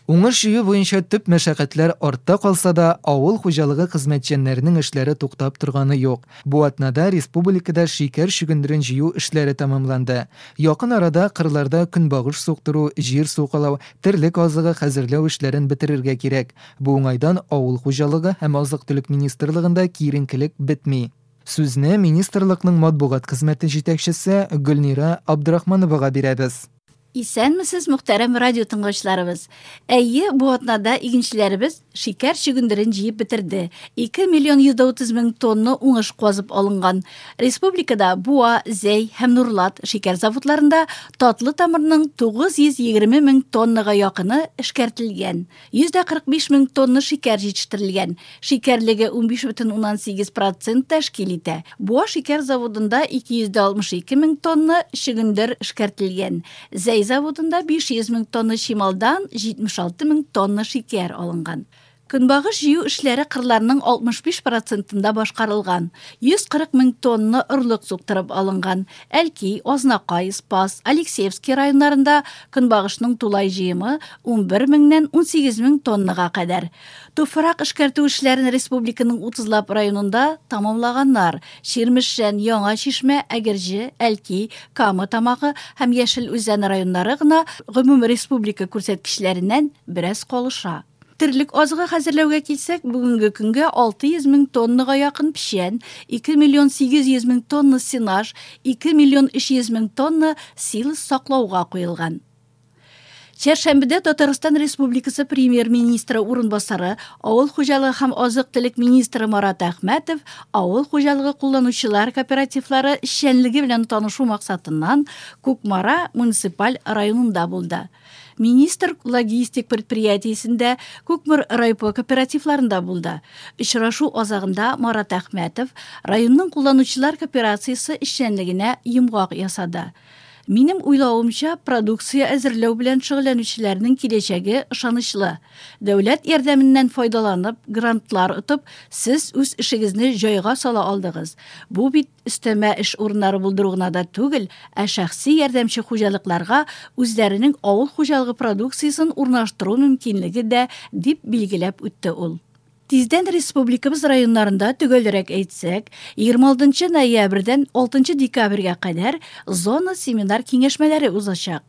Уңыш җыю буенча төп мәшәкатьләр артта калса да, авыл хуҗалыгы хезмәтчәннәренең эшләре туктап торганы юк. Бу атнада республикада шикәр чөгендерен җыю эшләре тәмамланды. Якын арада кырларда көнбагыш суктыру, җир сукалау, терлек азыгы хәзерләү эшләрен бетерергә кирәк. Бу уңайдан Авыл хуҗалыгы һәм азык-төлек министрлыгында киеренкелек бетми. Сүзне министрлыкның матбугат хезмәте җитәкчесе Гөлнира Абдрахмановага бирәбез. Исәнмесез, мөхтәрәм радио тыңлаучыларыбыз. Әйе, бу атнада игенчеләребез шикәр чөгендерен җыеп бетерде. 2 миллион 130 мең тонна уңыш казып алынган. Республикада Буа, Зәй һәм Нурлат шикәр заводларында татлы тамырның 920 мең тоннага якыны эшкәртелгән. 145 мең тонна шикәр җитештерелгән. Шикәрлеге 15,8 процент тәшкил итә. Буа шикәр заводында 262 мең тонна чөгендер эшкәртелгән. Зәй заводында 500 мең тонна чималдан 76 мең тонна шикәр алынган. Көнбагыш җыю эшләре кырларның 65 процентында башкарылган. 140 мең тонна орлык суктырып алынган. Әлки, Азнакай, Спас, Алексеевский районнарында көнбагышның тулай җыемы 11 меңнән 18 мең тоннага кадәр. Туфрак эшкәртү эшләрен республиканың утызлап районында тәмамлаганнар. Чирмешән, Яңа Чишмә, Әгерҗе, Әлки, Кама Тамагы һәм Яшел Үзән районнары гына гомум республика күрсәткечләреннән бераз калыша. Терлек азыгы хәзерләүгә килсәк, бүгенге көнгә 600 мең тоннага якын печән, 2 миллион 800 мең тонна сенаж, 2 миллион 300 мең тонна силос саклауга куелган. Чәршәмбедә Татарстан Республикасы Премьер-министры урынбасары, авыл хуҗалыгы һәм азык-төлек министры Марат Әхмәтов авыл хуҗалыгы кулланучылар кооперативлары эшчәнлеге белән танышу максатыннан Кукмара муниципаль районында булды. Министр логистик предприятиесендә, Кукмор райпо кооперативларында булды. Очрашу азагында Марат Әхмәтов районның кулланучылар кооперациясе эшчәнлегенә йомгак ясады. Минем уйлавымча, продукция әзерләү белән шөгыльләнүчеләрнең киләчәге ышанычлы. Дәүләт ярдәменнән файдаланып, грантлар отып, сез үз эшегезне җайга сала алдыгыз. Бу бит өстәмә эш урыннары булдыру гына да түгел, ә шәхси ярдәмче хуҗалыкларга үзләренең авыл хуҗалыгы продукциясен урнаштыру мөмкинлеге дә, дип билгеләп үтте ул. Тиздән республикабыз районнарында, төгәлрәк әйтсәк, 26 ноябрьдән 6 декабрьгә кадәр зона семинар киңәшмәләре узачак.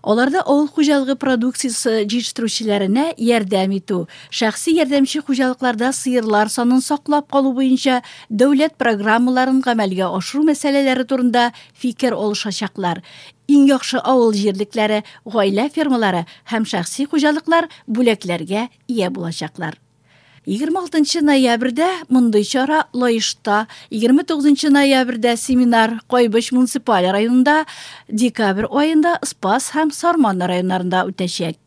Аларда авыл хуҗалыгы продукциясе җитештерүчеләренә ярдәм итү, шәхси ярдәмче хуҗалыкларда сыерлар санын саклап калу буенча дәүләт программаларын гамәлгә ашыру мәсьәләләре турында фикер алышачаклар. Иң яхшы авыл җирлекләре, гаилә фермалары һәм шәхси хуҗалыклар бүләкләргә ия булачаклар. 26 ноябрьдә мондый чара Лаешта, 29 ноябрьдә семинар Кайбыч муниципаль районында, декабрь аенда Спас һәм Сарман районнарында үтәчәк.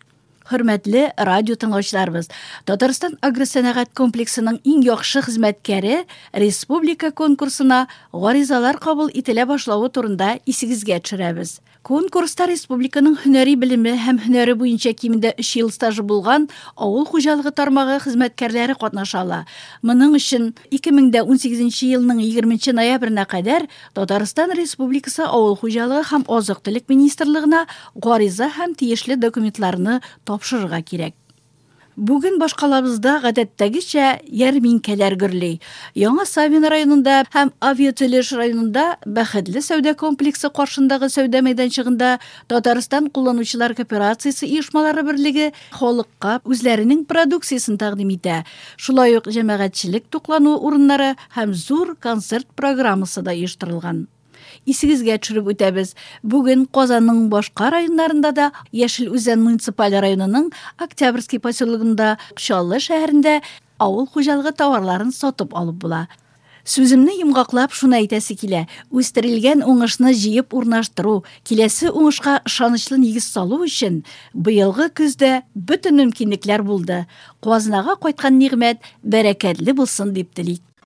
Хөрмәтле радио тыңлаучыларыбыз, Татарстан агросәнәгать комплексының иң яхшы хезмәткәре республика конкурсына гаризалар кабул ителә башлавы турында исегезгә төшерәбез. Конкурста республиканың һөнәри белеме һәм һөнәре буенча кимендә өч ел стажы булган авыл хуҗалыгы тармагы хезмәткәрләре катнаша ала. Моның өчен 2018 елның 20 ноябренә кадәр Татарстан Республикасы Авыл хуҗалыгы һәм азык-төлек министрлыгына гариза һәм тиешле документларны тапшырырга кирәк. Бүген башкалабызда гадәттәгечә ярминкәләр гөрли. Яңа Савин районында һәм Авиатөлеш районында Бәхетле сәүдә комплексы каршындагы сәүдә мәйданчыгында Татарстан кулланучылар кооперациясе оешмалары берлеге халыкка үзләренең продукциясен тәкъдим итә. Шулай ук җәмәгатьчелек туклану урыннары һәм зур концерт программасы да оештырылган. Исегезгә төшереп үтәбез, бүген Казанның башка районнарында да, Яшел Үзән муниципаль районының Октябрьский поселогында, Чаллы шәһәрендә авыл хуҗалыгы товарларын сатып алып була. Сүземне йомгаклап шуны әйтәсе килә, үстерелгән уңышны җыеп урнаштыру, киләсе уңышка ышанычлы нигез салу өчен быелгы көздә бөтен мөмкинлекләр булды. Казнага кайткан нигъмәт бәрәкәтле булсын дип телик.